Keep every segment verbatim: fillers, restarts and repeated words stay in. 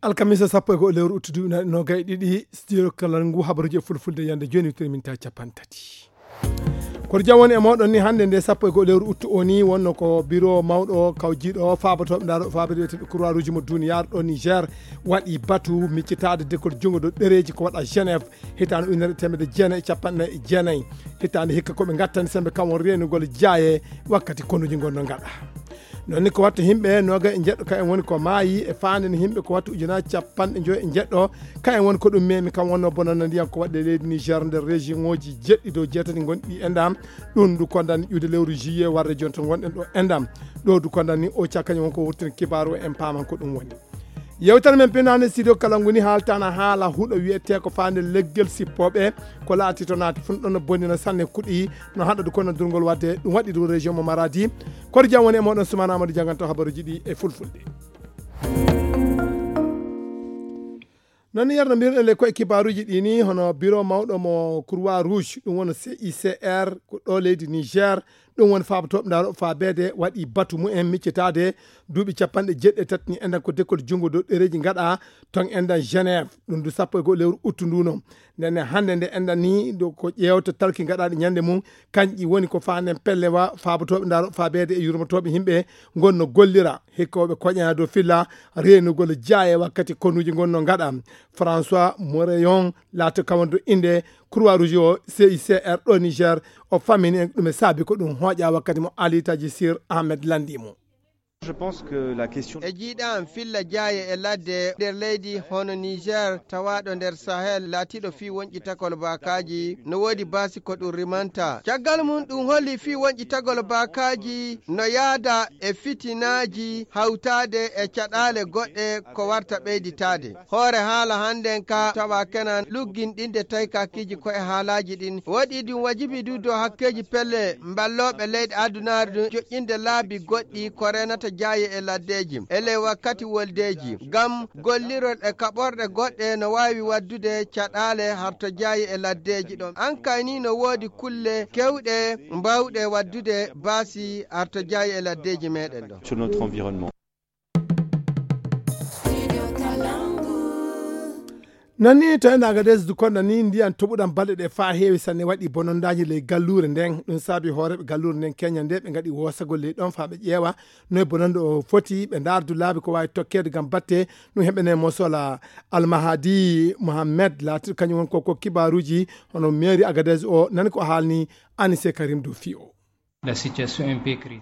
Alkamisa sappo e go'o lewru uttu duuɓi nogay ɗiɗi, studio kala ngu habaruji e fulfulde yande joni witiri min tawi capanɗe tati. Koto jam woni e moɗon ni hannde nde sappo e go'o lewru uttu o ni wonno ko biro mawɗo kawjiɗo faabotoɓe ndaro faabotoɓe wiyeteɓe croix rouge mo duniyaaru ɗo Niger waɗi batu miccitaade dekol junngo ɗo ɗereji ko waɗa Genève hitaande ujunere e teemedde jeenayi e capanɗe nayi e jeenayi. Hitaande hikka ko ɓe ngattani sembe kam won reenugol jaaye wakkati konuji ngonno ngaɗa. Noon ni ko wattu himɓe noga e jeɗɗo ka en woni ko maayi e faande ni himɓe ko wattu ujunaaji capanɗe joyi e jeɗɗo. Ka en woni ko ɗum memi kam wonno bonana ndiyan ko waɗde leydi Niger nder région oji jeɗɗi dow jeetati gonɗi e ndam. Ɗum ndu kondani ƴuude lewru juillet warde jonto gonɗen ɗo e ndam. Ɗo ndu kondani o cakañi won ko wurtina kibaaru o en paaman ko ɗum woni. Yewtere men pinande studio kala nguni haaltana haala huɗo wiyete ko faande leggel sippoɓe ko laati to naati fun ɗon no bonina sanne kuɗi no haɗa du kono durgol wadde ɗum waɗi ɗum région mo maradi. Koto jam woni e moɗon sumana amadou janganta habaruji ɗi e fulfulde. Noon ni yerno mbiruɗen le koye kibaruji ɗi ni hono biro mawɗo mo croix rouge ɗum woni cicr ko ɗo leydi niger. Ɗum woni faabotoɓe ndaro faabeede waɗi batu mumen miccitaade duuɓi capanɗe jeeɗiɗi e tati ni enɗan ko dekkol junngo dow ɗereeji ngaɗa ton enɗan Genève. Ɗum du sappo e go'o lewru uttu ndu noon. Ndenne hannde nde enɗan ni ɗo ko ƴeewta talki ngaɗaaɗi ñannde mum. Kanƴi woni ko faanen pellewa faabotooɓe ndaro faabeede e yurmotooɓe yimɓe ngonno gollira hikkooɓe koƴana dow filla reenugol jaaye wakkati konuuji ngonno ngaɗa. François Moreyon laato kawando innde croix rouge o cicr ɗo niger. O fammini en ɗum e saabi ko ɗum hooƴa wakkati mo alitaji sir ahmed landi mo. E jiiɗam filla jaaye e ladde nder leydi hono niger tawaɗo nder sahel laatiɗo fii wonƴi takol baakaji no woodi baasi ko ɗum rimanta caggal mum ɗum holli fii wonƴi tagol baakaji no yaada e fitinaaji hawtaade e caɗaale goɗɗe ko warta ɓeyditaade. Hoore haala hannden ka tawa kenan lugginɗinde taykakiiji ko e haalaaji ɗin waɗi ɗum wajibi du dow hakkeeji pelle mballooɓe leyɗe adunaaru ɗum joƴƴinde laabi goɗɗi ko reenata jaaye e laddeeji e ley wakkati woldeeji ngam gollirol e kaɓorɗe goɗɗe no waawi waddude caɗaale harto jaaye e laddeeji ɗon ankay ni no woodi kulle kewɗe mbawɗe waddude baasi harto jaaye e laddeeji meɗen ɗo. Noon ni to ene agades du konɗa ni ndiyan toɓuɗan balɗe ɗe faa heewi sanne waɗi bonondaaji ley galluure nden ɗum saabi hooreeɓe galluure nden keña nde ɓe ngaɗi woosagol ley ɗon faa ɓe ƴeewa noye bononde o foti ɓe ndaardu laabi ko waawi tokkeede ngam batte. Ɗum heɓene mosola almahadi mohammed laatiɗo kañum won koko kibaaruuji hono meeri agades o nani ko haalni anise karim du fii o.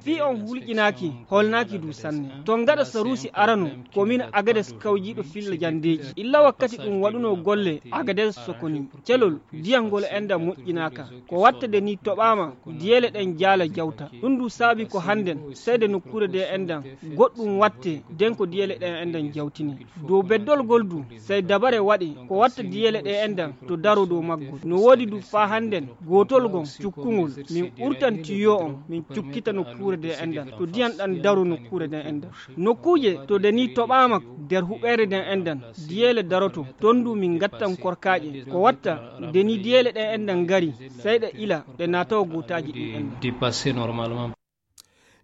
Fii on hulƴinaaki holnaaki du sanne to ngaɗa saruusi arano ko min agades kawjiiɗo filla jandeeji illa wakkati ɗum waɗunoo golle agades sokoni celol diyangol enda moƴƴinaaka ko wattade ni toɓaama diyeele ɗen jaala jawta ɗum du saabi ko hannden seyde nokkuure de endan goɗɗum watte den ko diyeele ɗen endan jawtini dow beddolgol du sey dabare waɗi ko watta diyeele ɗe endan to daro dow maggol no woodi du faa hannden gootol gon cukkungol min ɓurtan tiyo on min cukkita nokkuure de endan to diyan ɗan daro nokkuure de endan nokkuuje to de ni toɓaama der huɓeere de endan diyeele daroto ton du min ngattan korkaaƴe ko watta de ni diyeele ɗe endan ngari sey ɗe ila ɗe naatawa gootaaji ɗin endan.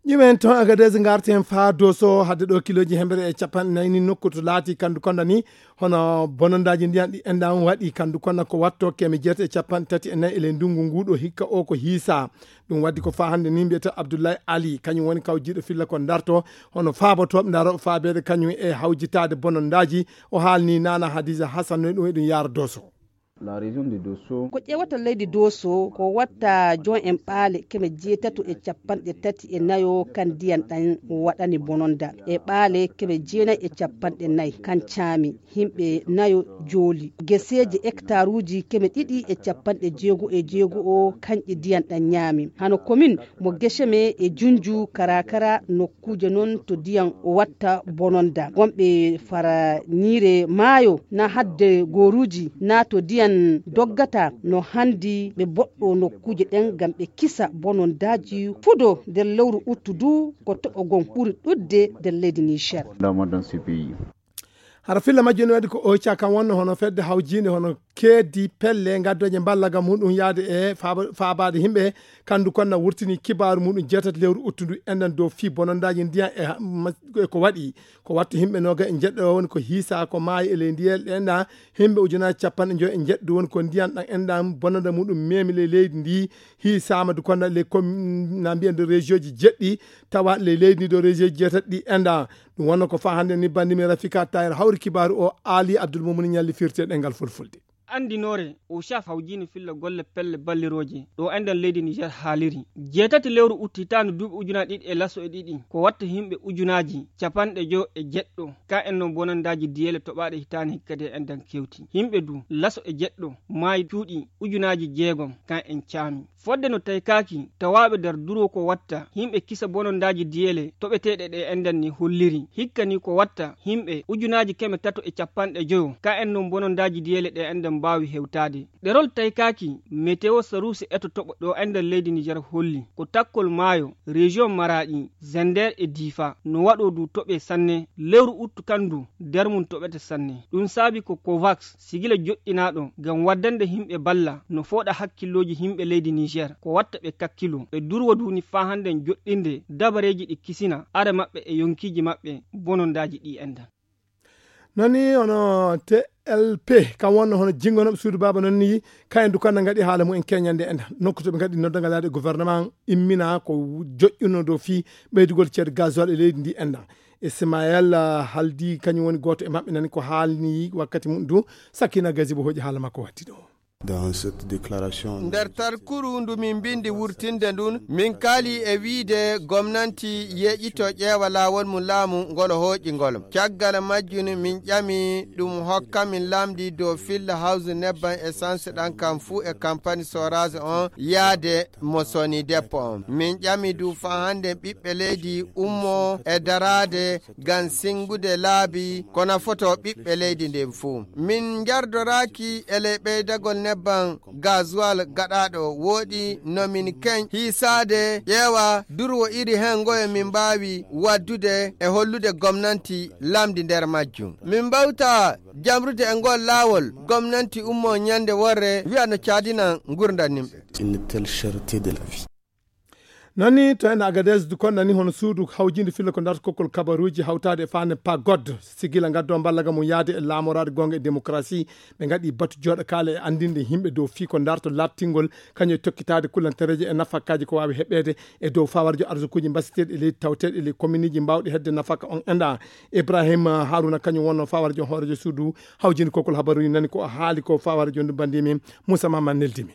Ƴumen toon agades ngarten faa doso hadde ɗo kiloji hembere e capanɗe nayi ni nokku to laati kandu konda ni hono bonondaaji ndiyan ɗi enɗan waɗi kandu konda ko watto keme jeeta e capanɗe tati e nayi e ley ndungu ngu ɗo hikka o ko hiisa. Ɗum waddi ko faa hannde ni mbiyata abdoullahi ali kañum woni kaw jiiɗo filla ko darto hono faabotooɓe ndaroɓe faabeede kañum e hawjitaade bonondaaji. O haalni nana hadisa hasan no ɗum e ɗum yaara doso. Ko ƴeewata leydi doso ko watta jon en ɓaale keme jeetato e capanɗe tati e nayo kan ndiyan ɗan waɗani bononda e ɓaale keme jeenayi e capanɗe nayi kan caami yimɓe nayo jooli geseeji hektaruuji keme ɗiɗi e capanɗe jeego e jeego o kanƴe ndiyan ɗan ñaami hano komin mo geseme e junju karakara nokkuuje non to ndiyan o watta bononda wonɓe fara ñiire maayo na hadde gooruuji na to ndiyan doggata no hanndi ɓe boɗɗo nokkuuje ɗen ngam ɓe kisa bonondaaji fudo nder lewru uttu du ko toɓo gon ɓuri ɗudde nder leydi niger. Hara filla majjum ne waɗi ko oca kan wonno hono fedde hawjiinde hono keeddi pelle gaddooje mballaga muɗum yaade e faaba- faabaade yimɓe. Kandu kon na wurtini kibaaru muɗum jeetati lewru uttundu enɗan dow fii bonondaaji ndiyan e ha- ma- e ko waɗi ko wattu yimɓe nooga e njeɗɗo woni ko hiisa ko maayi e ley ndiyel ɗe enɗan yimɓe ujunaaji capanɗe njoyo e njeɗɗo woni ko ndiyan ɗan enɗan bononda muɗum memi ley leydi ndi. Hiisaama du kon na ley kom- na mbiyen de région ji jeɗɗi tawa ley leydi ndi ɗo région ji jeetati ɗi enɗan. Ɗum wonno ko faa hannde ni banndi men Rafika Tayir hawri kibaaru o Aali Abdul Mumuni ñalli firti e ɗemngal fulfulde. Anndinoore o caf hawjiino filla golle pelle ballirooje ɗo enɗan leydi Niger haaliri. Jeetati lewru utti hitaande duuɓi ujunaaji ɗiɗi e laso e ɗiɗi ko watta yimɓe ujunaaji capanɗe joyo e jeɗɗo ka en non bonandaaji diyeele toɓaaɗe hitaande kadi e enɗan kewti. Yimɓe du laso e jeɗɗo maayi cuuɗi ujunaaji jeegom ka en caami. Fodde no taykaaki tawaaɓe nder duro ko watta yimɓe kisa bonondaaji diyeele toɓeteeɗe ɗe enɗan ni holliri. Hikka ni ko watta yimɓe ujunaaji keme tato e capanɗe joyo ka en non bonondaaji diyeele ɗe enɗan mbaawi hewtaade. Ɗerol taykaaki meteo saruusi eto toɓo ɗo enɗan leydi Niger holli ko takkol maayo région Maraaɗi, Zender e Difa no waɗo du toɓe sanne lewru uttu kandu nder mum toɓete sanne. Ɗum saabi ko Covax sigila joɗɗinaaɗo ngam waddande yimɓe balla no fooɗa hakkillooji yimɓe leydi Niger ko watta ɓe kakkilo ɓe durwa duuni faa hannden joɗɗinde dabareeji ɗi kisina are maɓɓe e yonkiiji maɓɓe bonondaaji ɗi enɗan. Noon ni hono T L P kam wonno hono jinngonooɓe suudu baaba noon ni kayen du kanna ngaɗi haala mumen keñande enɗan nokku to ɓe ngaɗi noddangal yaade gouvernement immina ko joƴƴuno dow fii ɓeydugol ceede gasoil e leydi ndi enɗan. Ismaël haaldi kañum woni gooto e maɓɓe nani ko haalni wakkati mum du. Sakina Gazibo hoƴi haala makko watti ɗo. Dans cette déclaration nder tarkuru ndu min mbindi wurtinde ndun min kaali e wiide gomnanti yeƴito ƴeewa laawol mum laamu ngol hooƴi ngol. Caggal majjun min ƴami ɗum hokka min lamdi dow filla hawsu nebban essence ɗan kan fuu e kampani sorage on yaade mo soni deppo on. Min ƴami du faa hannde ɓiɓɓe leydi ummo e daraade ngam singude laabi ko nafoto ɓiɓɓe leydi ndin fuu. Min njardoraaki e ley ɓeydagol nebban gasoil gaɗaaɗo wooɗi no min keñ hiisaade ƴeewa durwo iri hen ngoye min mbaawi waddude e hollude gomnanti lamdi nder majjum. Min mbawta jamrude e ngol laawol gomnanti ummo ñande worre wi'a no caadinan ngurdan nimɓe. Une telle cherté de la vie. Noon ni to en Agadez du konɗani hono suudu hawjinde filla ko darta kokkol kabaruuji hawtaade e faande pagod sigila ngaddo mballaga mum yaade e laamoraade goonga e démocratie. Ɓe ngaɗi batu jooɗo kaala e anndinde yimɓe dow fii ko darto laaɓtingol kañum e tokkitaade kullantereeje e nafakaaji ko waawi heɓeede e dow fawarjo arsukuuji mbasiteeɗi e leydi tawteeɗi e ley kominiji mbaawɗi hedde nafaka on enɗa. Ibrahima Haruna kañum wonno fawarjo hoorejo suudu hawjinde kokkol habaruuji nani ko o haali ko fawarjo ndu banndi min Moussa Mama neldimi.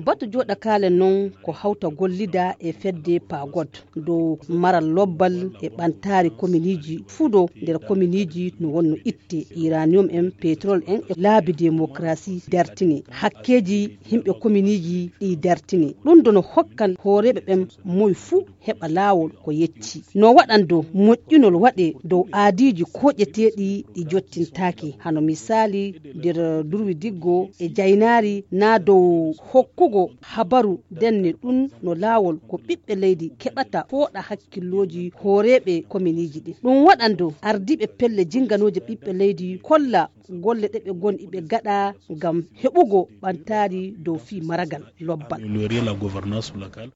Batu jooɗakaale non ko hawta gollida e fedde pagod dow maral lobbal e ɓantaari kominiji fudo nder kominiji no wonno itte uranium en pétrole en e laabi démocratie dartine hakkeji yimɓe kominiji ɗi dartine. Ɗum dono hokkan hooreɓe ɓen moy fuu heɓa laawol ko yecci. No waɗan dow moƴƴinol waɗe dow aadiiji koƴeteeɗi ɗi jottintaake, hano misaali nder durwi diggo e jaynaari naa dow hokkugo habaru denne ɗum no laawol ko ɓiɓɓe leydi keɓata fooɗa hakkillooji hooreeɓe kominiiji ɗin. Ɗum waɗan dow ardiiɓe pelle jinnganooje ɓiɓɓe leydi kolla golle ɗe ɓe ngon iɓe gaɗa ngam heɓugo ɓantaari dow fii maragal lobbal. Améliorer la gouvernance locale.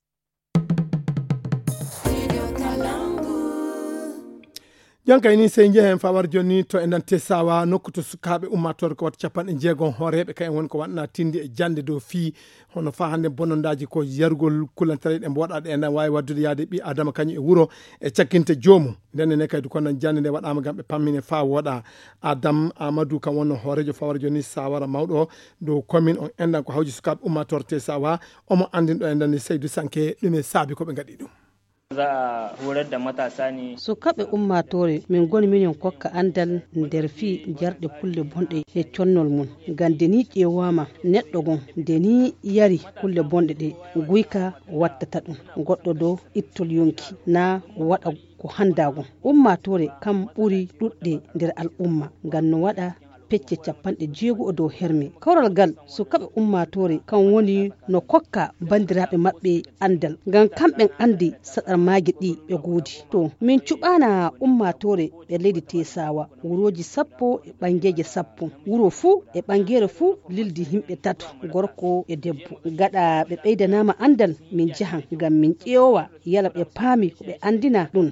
Jonkay ni sey njehen fawar joni to e nante sawa nokku to sukaaɓe ummatore ko wata capanɗe jeegom hooreeɓe kayen woni ko waɗna tindi e jannde dow fii hono faa hannde bonondaaji ko yarugol kulantareeɗe mbo waɗaɗe ena waawi waddude yaade ɓi adama kañum e wuro e cakkinte joomum. Ndenne ne kadi ko nan jannde nde waɗaama ngam ɓe pammine faa wooɗa. Adam Amadou kam wonno hooreejo fawara joni sawara mawɗo dow commune on enɗan ko hawji sukaaɓe ummatore te sawa omo anndin ɗo e ndani Seydou Sanke ɗum e saabi ko ɓe ngaɗi ɗum. Za a horar da matasa ne. Sukaaɓe ummatore min ngoni minen kokka anndal nder fii jarɗe kulle bonɗe e connol mum. Ngam de ni ƴeewaama neɗɗo gon de ni yari kulle bonɗe ɗe guyka wattata ɗum goɗɗo do ittol yonki naa waɗa ko hanndaa gon. Ummatore kam ɓuri ɗuɗde nder al'umma ngam no waɗa pecce capanɗe jeego o dow herme. Kawral ngal sukaaɓe ummaatoore kan woni no kokka banndiraaɓe maɓɓe anndal. Ngam kamɓen anndi saɗarmaaji ɗi ɓe goodi. To, min cuɓaana ummaatoore ɓe leydi Teesaawa, wurooji sappo e ɓanngeeje sappo. Wuro fuu e ɓanngeere fuu lildi yimɓe tato, gorko e debbo. Gaɗa ɓe ɓeydanaama anndal, min njahan ngam min ƴeewa yala ɓe paami ko ɓe anndina ɗum.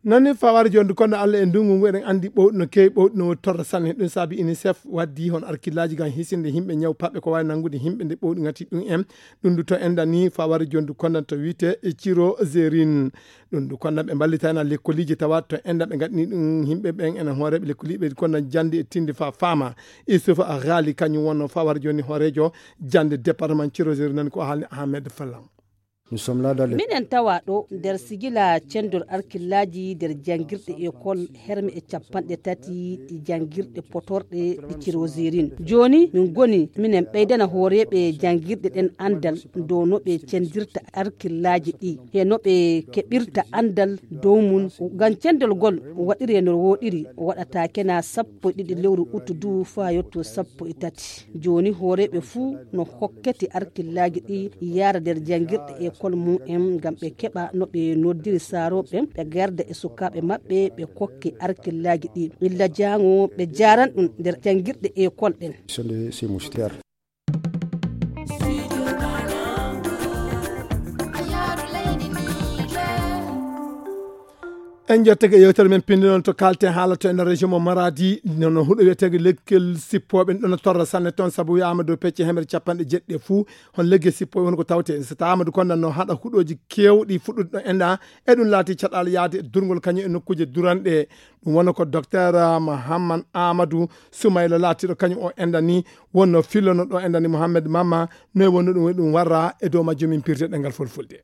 Nani fawar jondu kono Allah e ndungu ngu eɗen andi ɓowɗi no kewi ɓowɗi no woni torra sanne. Ɗum saabi UNICEF waddi hon arkillaaji ngam hisinde yimɓe ñaw paɓɓe ko wawi nangude yimɓe nde ɓowɗi ngati ɗum en. Ɗum du to enda ni fawar jondu kono to wiite e Ciro Zerin. Ɗum du kono ɓe mballitana lekkoliji tawa to enda ɓe ngaɗni ɗum yimɓe ɓen ena hooreɓe lekkoliɓe kono jandi e tindi fa fama. Isuf Ghali kañum wonno fawar joni hoorejo jande département Ciro Zerin nan ko haalni Ahmed Falam. Minen tawa ɗo nder sigila cendol arkillaaji nder janngirɗe ekol herme e capanɗe tati ɗi janngirɗe potorɗe ɗi Cirozirin. Jooni min ngoni minen ɓeydana hooreeɓe janngirɗe ɗen anndal dow no ɓe cendirta arkillaaji ɗi he no ɓe keɓirta anndal dow mum. Ngam cendol ngol waɗiree no wooɗiri, waɗataake na sappo e ɗiɗi lewru utu du faa yotto sappo e tati. Jooni hooreeɓe fuu no hokkete arkillaaji ɗi yaara nder janngirɗe ekol mum en ngam ɓe keɓa no ɓe noddiri saarooɓe ɓe garda e sukaaɓe maɓɓe ɓe kokke arkillaaji ɗi illa jaango ɓe jaaran ɗum nder janngirɗe ekol ɗen. En jettake yewtere men pinndinol to kalten haala to e nder région mo Maradi nono huɗo wiyetege leggel sippooɓe ɗon torra sanne toon sabu wiyaama dow pecce hemere capanɗe jeɗɗi e fuu hon leggel sippooɓe woni ko tawte so taama du kondan no haɗa huɗooji kewɗi fuɗɗude ɗo enɗa e ɗum laati caɗaala yaade e durngol kañum e nokkuuje duranɗe. Ɗum wona ko docteur Mahamman Amadou Soumayla laatiɗo kañum o enɗa ni wonno fillono ɗo enɗa ni Mohamed Mamma. Noy wonno ɗum woni ɗum warra e dow majjum min pirde ɗengal fulfulde.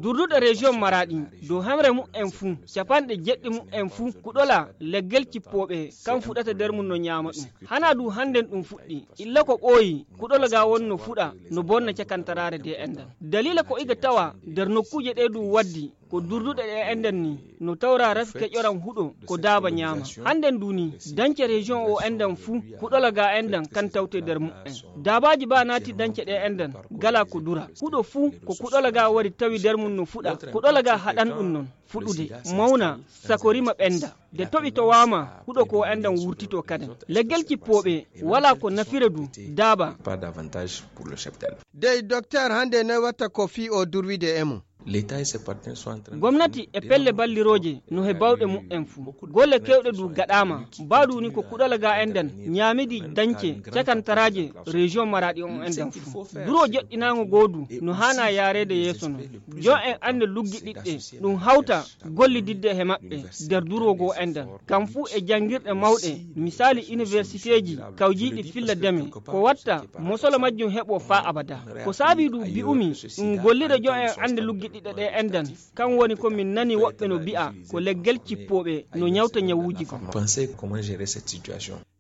Durduɗe région Maraɗi dow hamre mu'en fuu capanɗe jeɗɗi mu'en fuu kuɗola leggel cippooɓe kan fuɗata nder mum no ñaama ɗum. Hana du hannden ɗum fuɗɗi illa ko ɓooyi kuɗola ga won no fuɗa no bonna cakantaraare de enɗan dalila ko iga tawa nder nokkuuje ɗe du waddi ko durduɗe ɗe enɗan ni no tawra rafi keƴoran huɗo ko daaba ñaama. Hannden du ni dance région o enɗan fuu kuɗola ga enɗan kan tawte nder mu'en. Daabaaji ba naati dance ɗe enɗan gala ko dura huɗo fuu ko kuɗola ga wari tawi nder mum no fuɗa kuɗola ga haɗan ɗum non fuɗude mawna sako rima ɓenda de toɓi to wama huɗo ko enɗan wurtito kaden leggel cippooɓe wala ko nafira du daaba. Dey docteur hannde noy watta ko fii o durwide e mum. Gomnati e pelle ballirooje no he bawɗe mu'en fuu golle kewɗe du gaɗaama. Baadu ni ko kuɗola ga enɗan ñaamidi dañce cakantaraaje région Maraɗi on enɗan fuu duro joɗɗinaango goodu no haana yaareede yeeso non. Yo en annde luggiɗiɗɗe ɗum hawta gollididde he maɓɓe nder duro goo enɗan kam fuu e janngirɗe mawɗe misaali iniwersiteeji kawjiiɗi filla deme ko watta mosolo majjum heɓo faa abada. Ko saabi du bi'umi ɗum gollira jo en annde luggiɗiɗɗe ɗe enɗan. Kan woni ko min nani woɓɓe no bi'a ko leggel cippooɓe no ñawta ñawuuji goo.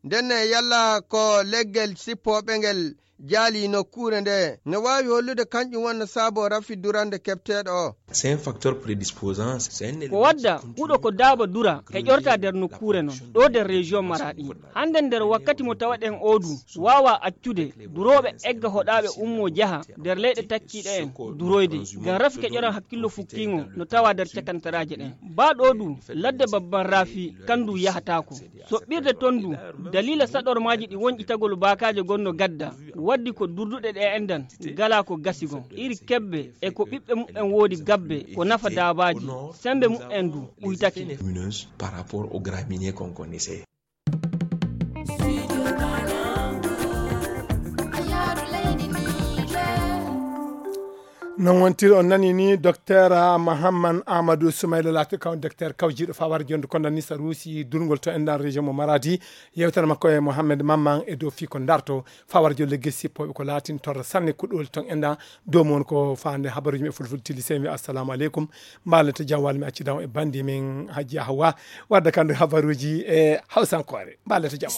Ndenne yalla ko leggel sippooɓe ngel jaali nokkuure nde no waawi hollude kañƴum wonno saabo rafi durande keɓteeɗo o. Ko wadda huɗo ko daaba dura heƴorta nder nokkuure non ɗo nder région Maraɗi. Hannden nder wakkati mo tawaɗen oo du waawa accude durooɓe egga hoɗaaɓe ummoo jaha nder leyɗe takkiiɗe en duroyde ngam rafi keƴoran hakkillo fukkiingo no tawa nder cakantaraaje ɗen. Baa ɗoo du ladde babban rafi kan du yahataako. Soɓɓirde ton du daliila saɗormaaji ɗi wonƴitagol baakaaje gonno gadda waddi ko durduɗe ɗe enɗan gala ko gasi gon iri kebbe e ko ɓiɓɓe muɓɓen woodi gabbe ko nafa daabaaji. Semmbe muɓɓen du ɓuytake. Non wontiri on nani ni docteur mahamman amadou soumayla laati kaw docteur kawjiiɗo fawar jonde kondan ni sa ruusi durgol to enɗan région mo maradi. Yewtere makko e mohammed mamman e dow fii ko darto fawar jolle gesi sippooɓe ko laatin torra sanne kuɗol ton enɗan dow mon ko faande habaruji men fulfulde tili sey mi assalamu aleykum. Mbaalen to jam walla mi accidan e bandi men hajji hawa wadda kandu habaruji e hawsankoore. Mbaalen to jam.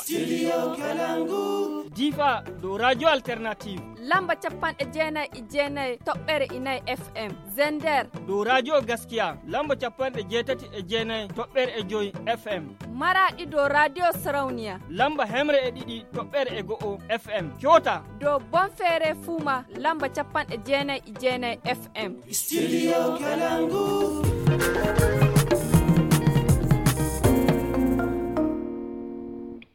Difa dow radio alternative. Lamba capanɗe jeenayi e jeenayi toɓɓere. nay F M. Zender. Dow Radio Gaskiya, lamba capanɗe jeetati e jeenay toɓɓere e joy F M. Maraɗi dow Radio Sarauniya. Lamba hemre e ɗiɗi toɓɓere e go'o F M. Kyota. Dow Bonfere Fuma, lamba capanɗe jeenay e jeenay F M. Studio Kalangu.